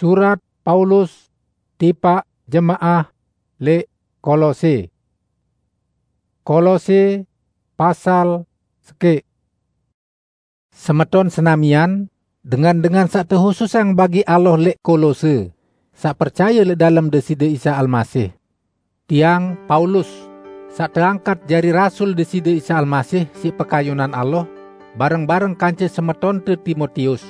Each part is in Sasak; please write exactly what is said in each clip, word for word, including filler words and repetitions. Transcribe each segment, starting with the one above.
Surat Paulus tipaq jemaah leq Kolose. Kolose pasal sekeq. Semeton senamian, dengan-dengan saq tehususang bagi Allah leq Kolose, saq percaye leq dalem Deside Isa Almasih. Tiang, Paulus, saq teangkat jari rasul Deside Isa Almasih siq pekayunan Allah, bareng-bareng kance semetonte Timotius.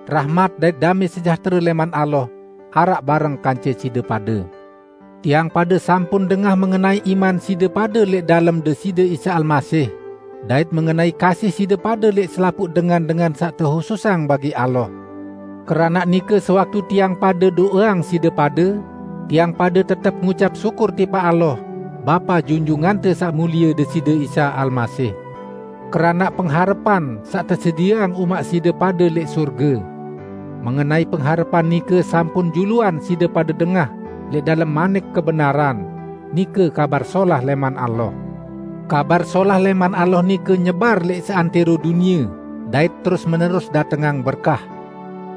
Rahmat dait dame sejahtere leman Allah araq bareng kance side pade. Tiang pade sampun dengah mengenai iman side pade leq dalem Deside Isa Almasih, dait mengenai kasih side pade leq selapuq dengan-dengan saq tehususang bagi Allah. Keranaq nike, sewaktu tiang pade do'eang side pade, tiang pade tetep ngucap syukur tipaq Allah, Bapa Junjungante Saq Mulie Deside Isa Almasih, keranaq pengharepan saq tesedieang umaq side pade leq surge. Mengenai pengharepan nike sampun juluan side pade dengah leq dalem manik kebenaran, nike Kabar Solah leman Allah. Kabar Solah leman Allah nike nyebar leq seantero dunie, dait terus-menerus datengang berkah.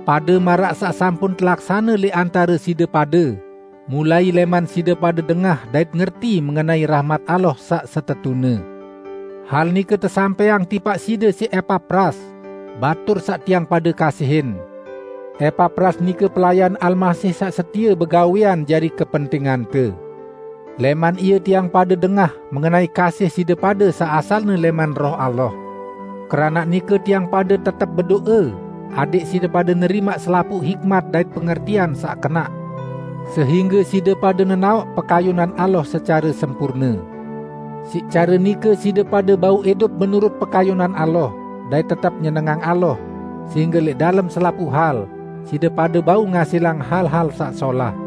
Pade maraq saq sampun telaksane leq antare side pade, mulai leman side pade dengah dait ngerti mengenai rahmat Allah saq setetune. Hal nike tesampaiang tipaq side siq Epapras, batur saq tiang pade kasihin. Epapras nike pelayan Almasih saq setie begawean jari kepentingante. Leman ie tiang pade dengah mengenai kasih side pade saq asalne leman Roh Allah. Keranaq nike tiang pade tetep bedo'e, adẽq side pade nerimaq selapuq hikmat dait pengertian saq kenaq, sehingge side pade nenaoq pekayunan Allah secare sempurne. Siq care nike side pade bau idup menurut pekayunan Allah, dait tetep nyenengang Allah, sehingge leq dalem selapuq hal side pade bau ngasilang hal-hal saq solah.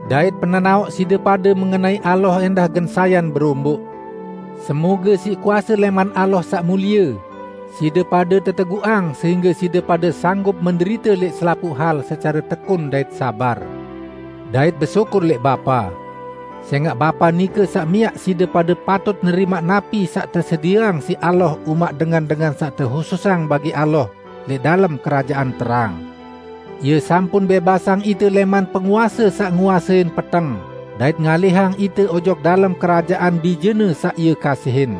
Dait penenaoq side pade mengenai Allah endah gen sayan beromboq. Semoge siq kuase leman Allah saq mulie, side pade teteguqang sehingge side pade sanggup menderite leq selapuq hal secare tekun dait sabar, dait besyukur leq Bapa. Sengaq Bapa nike saq miaq side pade patut nerimaq napi saq tesedieang siq Allah umaq dengan-dengan saq tehususang bagi Allah leq dalem kerajaan terang. Ie sampun bebasang ite leman penguase saq nguasein peteng, dait ngalihang ite ojok dalem kerajaan Bijene saq Ie kasihin.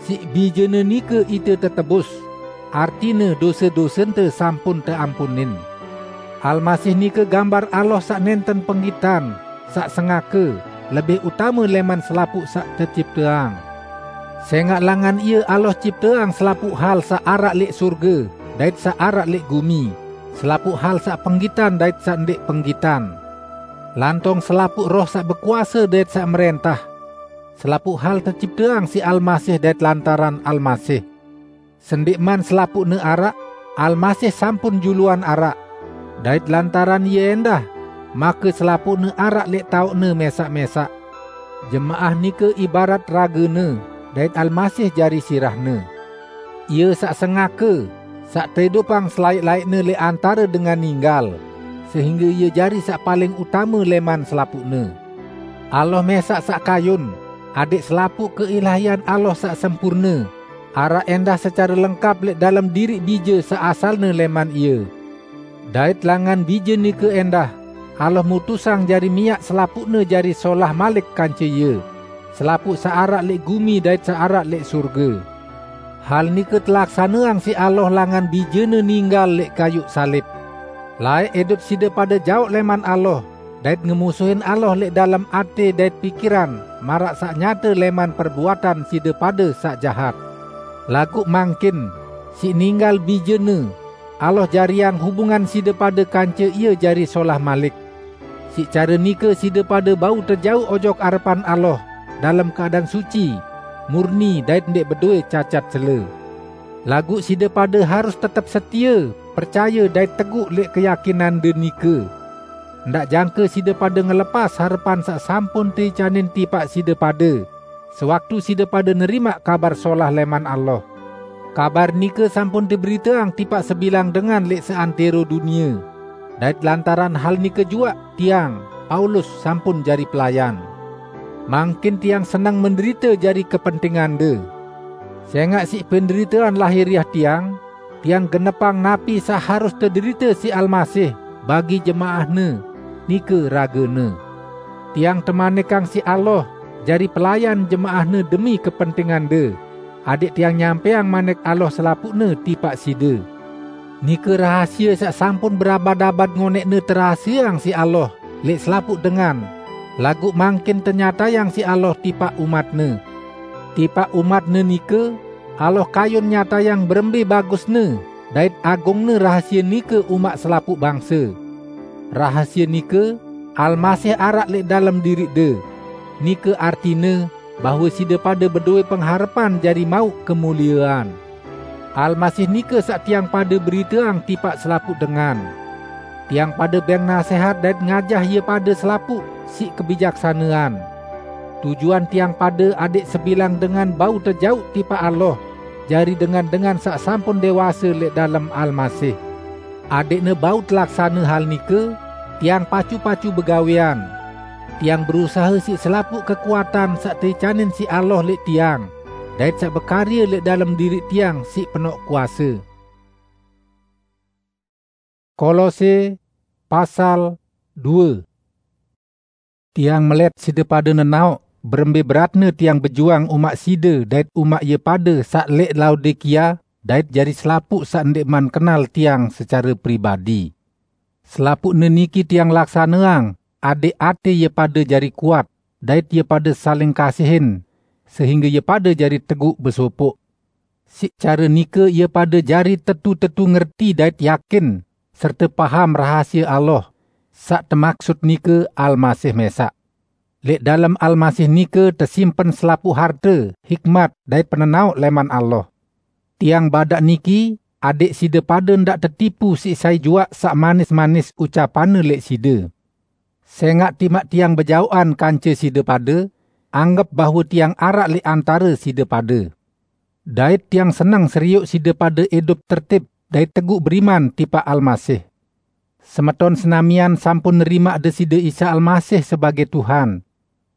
Siq Bijene nike ite tetebus, artine dose-dosente sampun teampunin. Almasih nike gambar Allah saq nenten penggitan, saq sengake, lebih utame leman selapuq saq tecipteang. Sengaq langan Ie Allah cipteang selapuq hal saq araq leq surge dait saq araq leq gumi, selapuq hal saq penggitan dait saq ndeq penggitan, lantong selapuq roh saq bekuase dait saq mrentah. Selapuq hal tecipteang siq Almasih dait lantaran Almasih. Sendikman selapuqne araq, Almasih sampun juluan araq, dait lantaran Ie endah, make selapuqne araq leq taoqne mesaq-mesaq. Jemaah nike ibarat ragene, dait Almasih jari sirahne. Ie saq sengake, saq teidupang selaeq-laeqne leq antare dengan ninggal, sehingge Ie jari saq paling utame leman selapuqne. Allah mesaq saq kayun, adẽq selapuq keilahian Allah saq sempurne araq endah secare lengkap leq dalem diriq Bije saq asalne leman Ie. Dait langan Bije nike endah, Allah mutusang jari miaq selapuqne jari solah malik kance Ie, selapuq saq araq leq gumi dait saq araq leq surge. Hal nike telaksaneang siq Allah langan Bijene ninggal leq kayuq salib. Laeq idup side pade jaoq leman Allah, dait ngemusuhin Allah leq dalem ate dait pikiran maraq saq nyate leman perbuatan side pade saq jahat. Laguq mangkin, siq ninggal Bijene, Allah jariang hubungan side pade kance Ie jari solah malik. Siq care nike side pade bau tejauq ojok arepan Allah dalem keadaan suci, murni dait ndeq bedoe cacat cele. Laguq side pade harus tetep setie, percaye dait teguq leq keyakinande nike. Ndaq jangke side pade ngelepas harepan saq sampun teicanin tipaq side pade, sewaktu side pade nerimaq Kabar Solah leman Allah. Kabar nike sampun teberiteang tipaq sebilang dengan leq seantero dunie, dait lantaran hal nike juaq tiang, Paulus, sampun jari pelayan. Mangkin tiang seneng menderite jari kepentingande. Sengaq siq penderitean lahiriah tiang, tiang genepang napi saq harus tederite siq Almasih bagi jemaah-Ne, nike raga-Ne. Tiang temanikang siq Allah, jari pelayan jemaah-Ne demi kepentingande, adeq tiang nyampeang manik Allah selapuqne tipaq side. Nike rahasie saq sampun berabad-abad ngoneqne terahaseang siq Allah leq selapuq dengan, laguq mangkin tenyatayang siq Allah tipaq umat-Ne. Tipaq umat-Ne nike, Allah kayun nyatayang berembe bagusne dait agungne rahasie nike umaq selapuq bangse. Rahasie nike, Almasih araq leq dalem diriqde. Nike artine bahwe side pade bedowe pengharepan jari mauq kemuliean. Almasih nike saq tiang pade beriteang tipaq selapuq dengan. Tiang pade beng nasehat dait ngajah ie pade selapuq siq kebijaksanean. Tujuan tiang pade adeq sebilang dengan bau tejauq tipaq Allah, jari dengan-dengan saq sampun dewase leq dalem Almasih. Adeqne bau telaksane hal nike, tiang pacu-pacu begawean. Tiang berusahe siq selapuq kekuatan saq teicanin siq Allah leq tiang, dait saq bekarye leq dalem diriq tiang siq penoq kuase. Kolose pasal due. Tiang melet side pade nenaoq berembe beratne tiang bejuang umaq side dait umaq ie pade saq leq Laodikia dait jari selapuq saq ndeqman kenal tiang secare pribadi. Selapuqne niki tiang laksaneang adeq ate ie pade jari kuat dait ie pade saling kasihin, sehingge ie pade jari teguq besopoq. Siq care nike ie pade jari tetu-tetu ngerti dait yakin serte paham rahasie Allah, saq temaksut nike Almasih mesaq. Leq dalem Almasih nike tesimpen selapuq harte, hikmat, dait penenaoq leman Allah. Tiang badaq niki adeq side pade ndaq tetipu siq sai juaq saq manis-manis ucapanne leq side. Sengaq timaq tiang bejaoqan kance side pade, anggep bahwe tiang araq leq antare side pade. Dait tiang seneng serioq side pade idup tertib dait teguq beriman tipaq Almasih. Semeton senamian sampun nerimaq Deside Isa Almasih sebagei Tuhan.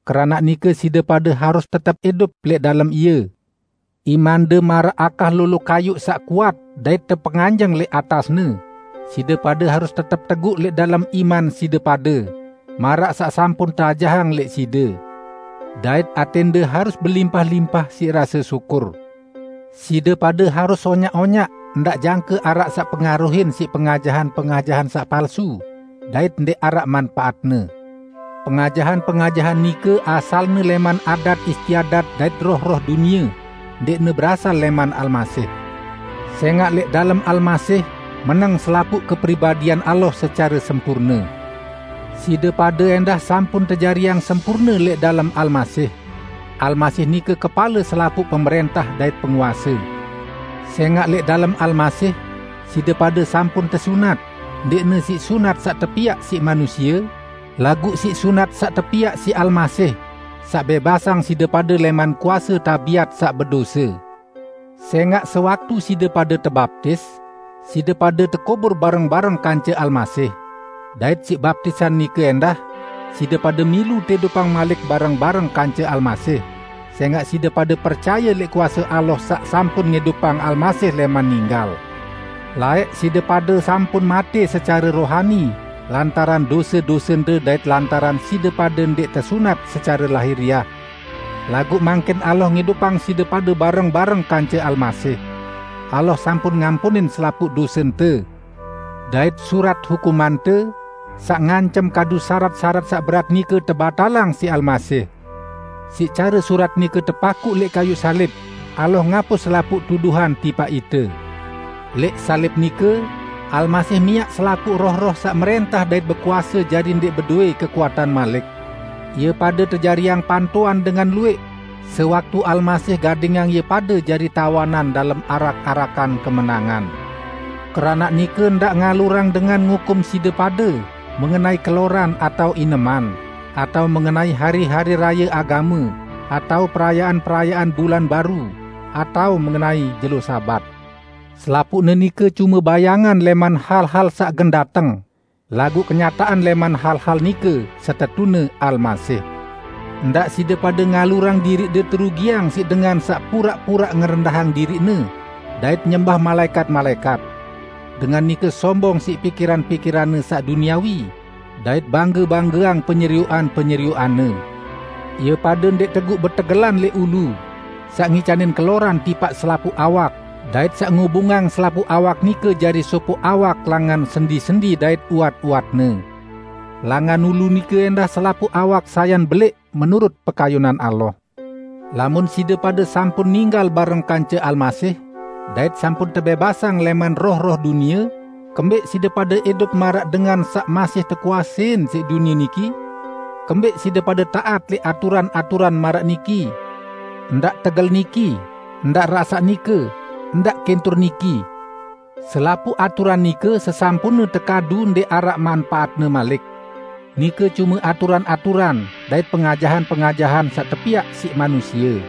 Keranaq nike side pade harus tetep idup leq dalem Ie. Imande maraq akah lolo kayuq saq kuat dait tepenganjeng leq atasne. Side pade harus tetep teguq leq dalem iman side pade, maraq saq sampun teajahang leq side. Dait atende harus belimpah-limpah siq rase syukur. Side pade harus onyaq-onyaq, ndaq jangke araq saq pengaruhin siq pengajahan-pengajahan saq palsu, dait ndeq araq manpaatne. Pengajahan-pengajahan nike asalne leman adat istiadat dait roh-roh dunie, ndeqne berasal leman Almasih. Sengaq leq dalem Almasih meneng selapuq kepribadian Allah secare sempurne. Side pade endah sampun tejariang sempurne leq dalem Almasih. Almasih nike kepale selapuq pemerentah dait penguase. Sengaq leq dalem Almasih, side pade sampun tesunat, ndeqne siq sunat saq tepiaq siq manusie, laguq siq sunat saq tepiaq siq Almasih, saq bebasang side pade leman kuase tabiat saq bedose. Sengaq sewaktu side pade tebaptis, side pade tekubur bareng-bareng kance Almasih. Dait siq baptisan nike endah, side pade milu teidupang malik bareng-bareng kance Almasih, sengaq side pade percaye leq kuase Allah saq sampun ngidupang Almasih leman ninggal. Laeq side pade sampun mate secare rohani lantaran dose-dosente dait lantaran side pade ndeq tesunat secare lahiriah. Laguq mangkin Allah ngidupang side pade bareng-bareng kance Almasih. Allah sampun ngampunin selapuq dosente. Dait surat hukumante, saq ngancem kadu sarat-sarat saq berat nike tebatalang siq Almasih. Siq care surat nike tepakuq leq kayuq salib, Allah ngapus selapuq tuduhan tipaq ite. Leq salib nike, Almasih miaq selapuq roh-roh saq merentah dait bekuase jari ndeq bedowe kekuatan malik. Ie pade tejariang pantoan dengan lueq, sewaktu Almasih gadingang ie pade jari tawanan dalem arak-arakan kemenangan. Keranaq nike ndaq ngalurang dengan ngukum side pade mengenai keloran atao ineman, atao mengenai hari-hari raye agame, atao perayaan-perayaan bulan baru, atao mengenai jelo Sabat. Selapuqne nike cume bayangan leman hal-hal saq gen dateng, laguq kenyataqan leman hal-hal nike setetune Almasih. Ndaq side pade ngalurang diriqde terugiang siq dengan saq puraq-puraq ngerendahang diriqne dait nyembah malaekat-malaekat. dengan nike sombong siq pikiran-pikiranne saq duniawi, dait bangge-banggeang penyerioqan-penyerioqanne. Ie pade ndeq teguq betegelan leq ulu, saq ngicanin keloran tipaq selapuq awak, dait saq ngubungang selapuq awak nike jari sopoq awak langan sendi-sendi dait uwat-uwatne. Langan ulu nike endah selapuq awak sayan beleq menurut pekayunan Allah. Lamun side pade sampun ninggal bareng kance Almasih, dait sampun tebebasang leman roh-roh dunie, kembeq side pade idup maraq dengan saq masih tekuasein siq dunie niki? Kembeq side pade taat leq aturan-aturan maraq niki, "Ndaq tegel niki, ndaq rasaq nike, ndaq kentur niki"? Selapuq aturan nike sesampunne tekadu ndeq araq manpaatne malik. Nike cume aturan-aturan dait pengajahan-pengajahan saq tepiaq siq manusie.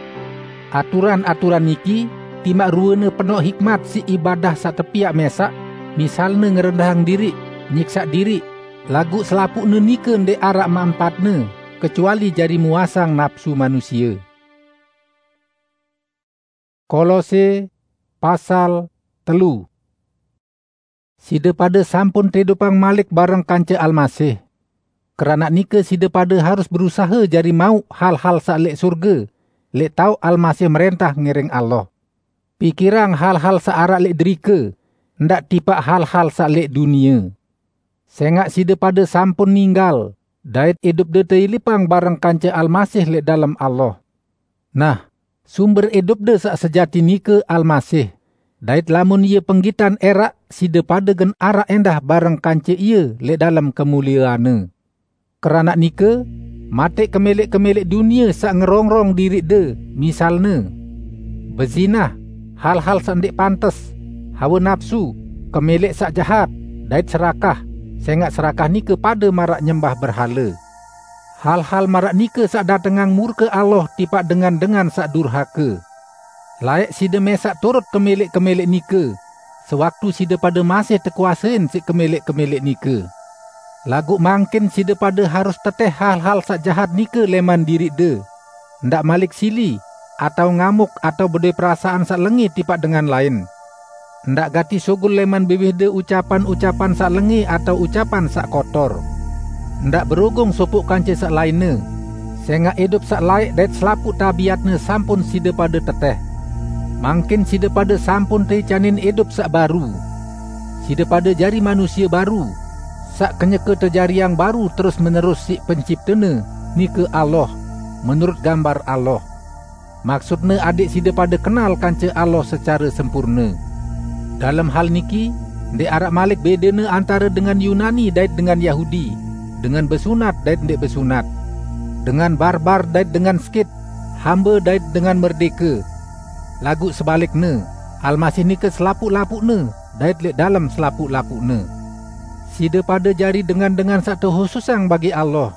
Aturan-aturan niki timaq ruene penoq hikmat siq ibadah saq tepiaq mesaq, misalne ngerendahang diriq, nyiksaq diriq, laguq selapuqne nike ndeq araq manpaatne, kecuali jari muasang napsu manusie. Kolose pasal telu. Side pade sampun teidupang malik bareng kance Almasih. Keranaq nike side pade harus berusahe jari mauq hal-hal saq leq surge, leq taoq Almasih merentah ngiring Allah. Pikirang hal-hal saq araq leq derike, ndaq tipaq hal-hal saq leq dunie. Sengaq side pade sampun ninggal, dait idupde teilipang bareng kance Almasih leq dalem Allah. Nah, sumber idupde saq sejati nike Almasih, dait lamun Ie penggitan eraq, side pade gen araq endah bareng kance Ie leq dalem kemulieanne. Keranaq nike, mateq kemeleq-kemeleq dunie saq ngerongrong diriqde, misalne, bezinah, hal-hal saq ndeq pantes, hawe napsu, kemeleq saq jahat, dait serakah, sengaq serakah nike pade maraq nyembah berhale. Hal-hal maraq nike saq datengang murke Allah tipaq dengan-dengan saq durhake. Laeq side mesaq turut kemeleq-kemeleq nike, sewaktu side pade masih tekuasein siq kemeleq-kemeleq nike. Laguq mangkin side pade harus teteh hal-hal saq jahat nike leman diriqde, ndaq malik sili, atao ngamuk, atao bedoe perasaan saq lenge tipaq dengan lain. Ndaq gati sugul leman biwihde ucapan-ucapan saq lenge atao ucapan saq kotor. Ndaq berogong sopoq kance saq lainne, sengaq idup saq laeq dait selapuq tabiatne sampun side pade teteh. Mangkin side pade sampun teicanin idup saq baru. Side pade jari manusie baru, saq kenyeke tejariang baru terus-menerus siq Penciptene, nike Allah, menurut gambar Allah. Maksutne adẽq side pade kenal kance Allah secare sempurne. Dalem hal niki, ndeq araq malik bedene antare dengan Yunani dait dengan Yahudi, dengan besunat dait ndeq besunat, dengan barbar dait dengan Skit, hambe dait dengan merdeke. Laguq sebalikne, Almasih nike selapuq-lapuqne dait leq dalem selapuq-lapuqne. Side pade jari dengan-dengan saq tehususang bagi Allah.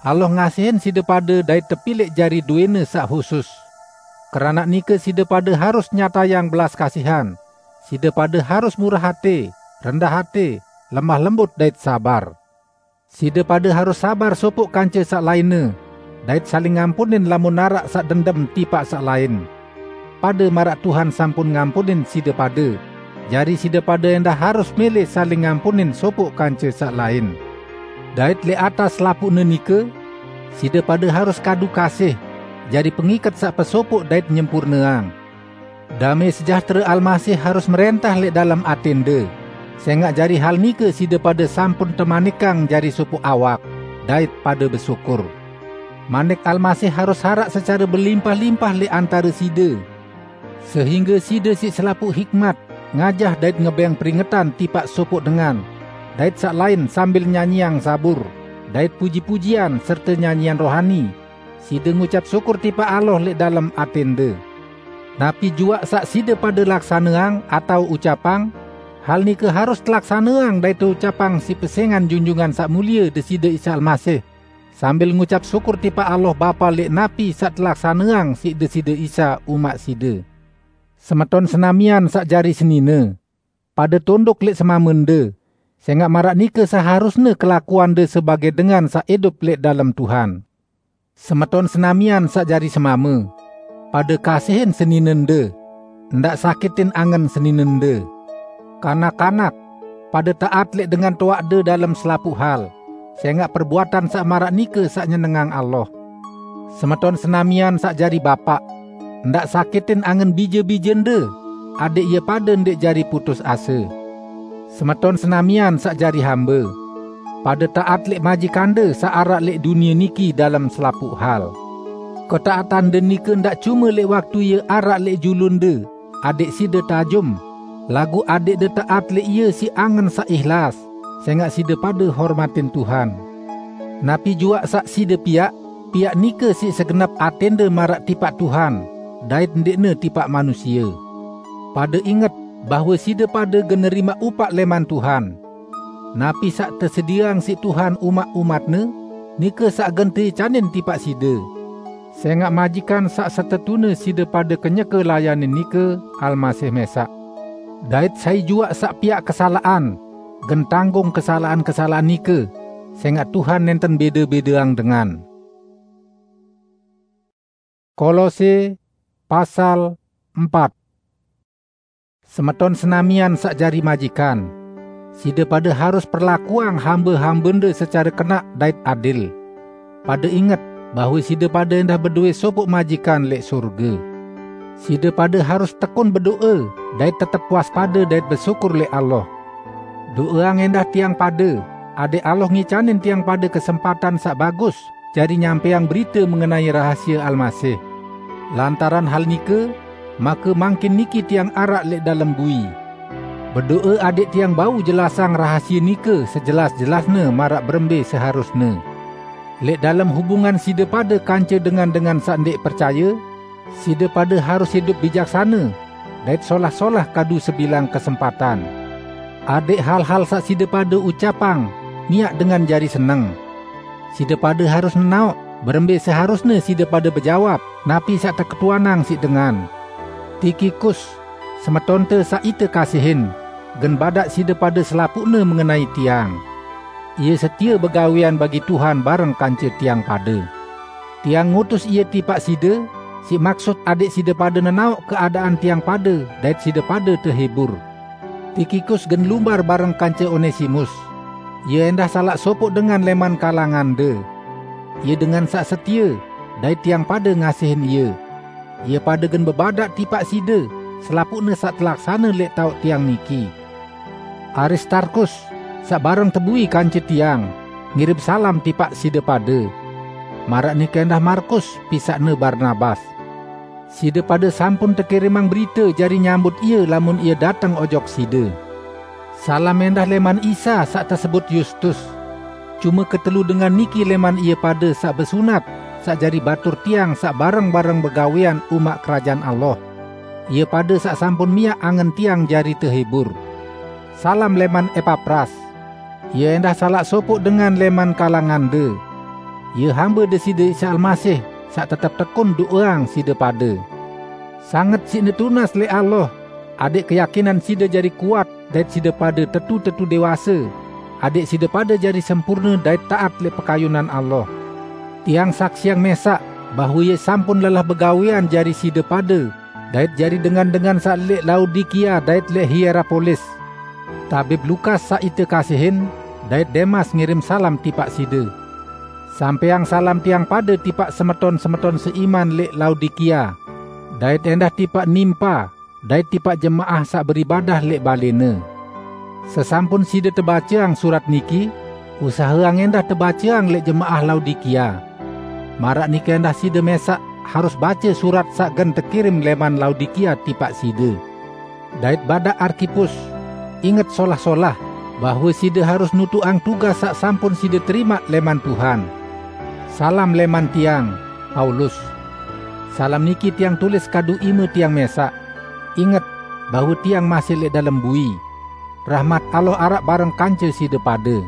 Allah ngasihin side pade dait tepilẽq jari dowẽne saq husus. Keranaq nike side pade harus nyatayang belas kasihan. Side pade harus murah ate, rendah ate, lemah lembut dait sabar. Side pade harus sabar sopoq kance saq lainne, dait saling ngampunin lamun araq saq dendem tipaq saq lain. Pade maraq Tuhan sampun ngampunin side pade, jari side pade endah harus mele saling ngampunin sopoq kance saq lain. Dait leq atas selapuqne nike, side pade harus kadu kasih, jari pengiket saq pesopoq dait nyempurneang. Dame sejahtere Almasih harus merentah leq dalem atende, sengaq jari hal nike side pade sampun temanikang jari sopoq awak, dait pade besyukur. Manik Almasih harus araq secare belimpah-limpah leq antare side, sehingge side siq selapuq hikmat ngajah dait ngebeng peringetan tipaq sopoq dengan dait saq lain sambil nyanyiang zabur, dait puji-pujian serte nyanyian rohani, side ngucap syukur tipaq Allah leq dalem atende. Napi juaq saq side pade laksaneang atao ucapang, hal nike harus telaksaneang dait teucapang siq pesengan Junjungan Saq Mulie Deside Isa Almasih, sambil ngucap syukur tipaq Allah Bapa leq napi saq telaksaneang siq Deside Isa umaq side. Semeton senamian saq jari senine, pade tunduk leq semamende, sengaq maraq nike seharusne kelakuande sebage dengan saq idup leq dalem Tuhan. Semeton senamian saq jari semame, pade kasihin seninende, ndaq sakitin angen seninende. Kanak-kanak, pada taat lek dengan toakde dalem selapuq hal, sengaq perbuatan saq maraq nike saq nyenengang Allah. Semeton senamian saq jari bapaq, ndaq sakitin angen bije-bijende, adeq ie pade ndeq jari putus ase. Semeton senamian saq jari hambe, pada taat lek majikande saq araq lek dunie niki dalem selapuq hal. Ketaatande nike ndaq cume lek waktu ie araq lek julunde, adeq side tajum, laguq adeqde taat lek ie siq angen saq ihlas, sengaq side pade hormatin Tuhan. Napi juaq saq side piaq, piaq nike siq segenep atende maraq tipaq Tuhan, dait ndeqne tipaq manusie. Pade inget bahwe side pade gen nerimaq upaq leman Tuhan. Napi saq tesedieang siq Tuhan umaq-umat-Ne, nike saq gen teicanin tipaq side. Sengaq majikan saq setetune side pade kenyeke layanin nike Almasih mesaq. Dait sai juaq saq piaq kesalaqan, gen tanggung kesalaqan-kesalaqan nike, sengaq Tuhan nenten bede-bedeang dengan. Kolose, pasal empat. Semeton senamian saq jari majikan, side pade harus perlakuang hambe-hambende secare kenaq dait adil. Pade inget bahwe side pade endah bedowe sopoq majikan leq sorge. Side pade harus tekun bedoe dait tetep waspade dait besyukur leq Allah. Do'eang endah tiang pade, adeq Allah ngicanin tiang pade kesempatan saq bagus jari nyampeang berite mengenai rahasie Almasih. Lantaran hal nike, make mangkin niki tiang araq leq dalem bui. Bedoe adeq tiang bau jelasang rahasie nike sejelas-jelasne maraq berembe seharusne. Leq dalem hubungan side pade kance dengan-dengan saq ndeq percaye, side pade harus idup bijaksane dait solah-solah kadu sebilang kesempatan. Adeq hal-hal saq side pade ucapang miaq dengan jari seneng. Side pade harus nenaoq berembe seharusne side pade bejawab napi saq teketuanang siq dengan. Tikikus, semetonte saq ite kasihin, gen badaq side pade selapuqne mengenai tiang. Ie setie begawean bagi Tuhan bareng kance tiang pade. Tiang ngutus ie tipaq side, siq maksut adeq side pade nenaoq keadaan tiang pade dait side pade tehibur. Tikikus gen lumbar bareng kance Onesimus. Ie endah salaq sopoq dengan leman kalangande. Ie dengan saq setie, dait tiang pade ngasihin ie. Ie pade gen bebadaq tipaq side selapuqne saq telaksane leq taoq tiang niki. Aristarkus, saq bareng tebui kance tiang, ngirim salam tipaq side pade. Maraq nike endah Markus, pisaqne Barnabas. Side pade sampun tekirimang berite jari nyambut ie lamun ie dateng ojok side. Salam endah leman Isa saq tesebut Yustus. Cume ketelu dengan niki leman ie pade saq besunat, saq jari batur tiang saq bareng-bareng begawean umaq Kerajaan Allah. Ie pade saq sampun miaq angen tiang jari tehibur. Salam leman Epapras. Ie endah salaq sopoq dengan leman kalangande. Ie hambe Deside Isa Almasih saq tetep tekun do'eang side pade. Sanget siqne tunas leq Allah, adeq keyakinan side jari kuat dait side pade tetu-tetu dewase, adeq side pade jari sempurne dait taat leq pekayunan Allah. Tiang saksiang mesaq bahwe ie sampun lelah begawean jari side pade, dait jari dengan-dengan saq leq Laodikia dait leq Hierapolis. Tabib Lukas saq ite kasihin, dait Demas ngirim salam tipaq side. Sampeang salam tiang pade tipaq semeton-semeton seiman leq Laodikia, dait endah tipaq Nimpa, dait tipaq jemaah saq beribadah leq balene. Sesampun side tebaceang surat niki, usaheang endah tebaceang leq jemaah Laodikia. Maraq nike endah side mesaq harus bace surat saq gen tekirim leman Laodikia tipaq side. Dait badaq Arkipus, inget solah-solah, bahwe side harus nutuqang tugas saq sampun side terimaq leman Tuhan. Salam leman tiang, Paulus. Salam niki tiang tulis kadu ime tiang mesaq. Inget bahwe tiang masih leq dalem bui. Rahmat Allah araq bareng kance side pade.